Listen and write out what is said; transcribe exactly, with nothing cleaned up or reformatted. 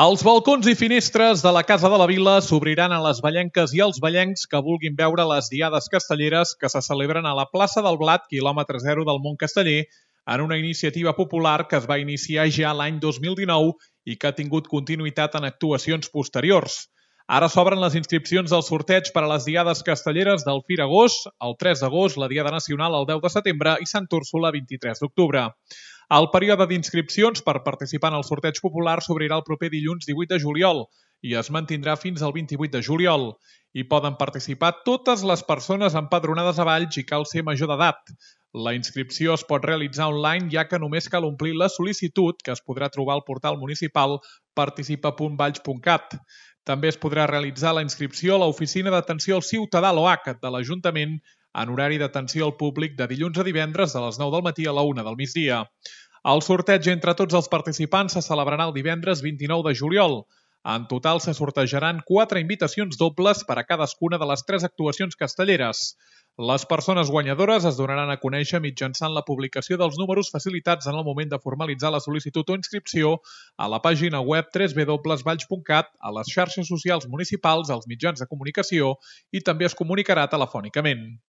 Els balcons i finestres de la Casa de la Vila s'obriran a les vallenques i als vallencs que vulguin veure les diades castelleres que se celebren a la plaça del Blat, quilòmetre zero del Mont Casteller, en una iniciativa popular que es va iniciar ja l'any dos mil dinou i que ha tingut continuïtat en actuacions posteriors. Ara s'obren les inscripcions del sorteig per a les diades castelleres del Fira Agost, el tres d'agost, la Diada Nacional el deu de setembre i Sant Úrsula el vint-i-tres d'octubre. El període d'inscripcions per participar en el sorteig popular s'obrirà el proper dilluns divuit de juliol i es mantindrà fins al vint-i-vuit de juliol. Hi poden participar totes les persones empadronades a Valls i cal ser major d'edat. La inscripció es pot realitzar online, ja que només cal omplir la sol·licitud, que es podrà trobar al portal municipal participa punt valls punt cat. També es podrà realitzar la inscripció a l'Oficina d'Atenció al Ciutadà l'O H de l'Ajuntament en horari d'atenció al públic de dilluns a divendres de les nou del matí a la una del migdia. El sorteig entre tots els participants se celebrarà el divendres vint-i-nou de juliol. En total se sortejaran quatre invitacions dobles per a cadascuna de les tres actuacions castelleres. Les persones guanyadores es donaran a conèixer mitjançant la publicació dels números facilitats en el moment de formalitzar la sol·licitud o inscripció a la pàgina web w w w punt valls punt cat, a les xarxes socials municipals, als mitjans de comunicació i també es comunicarà telefònicament.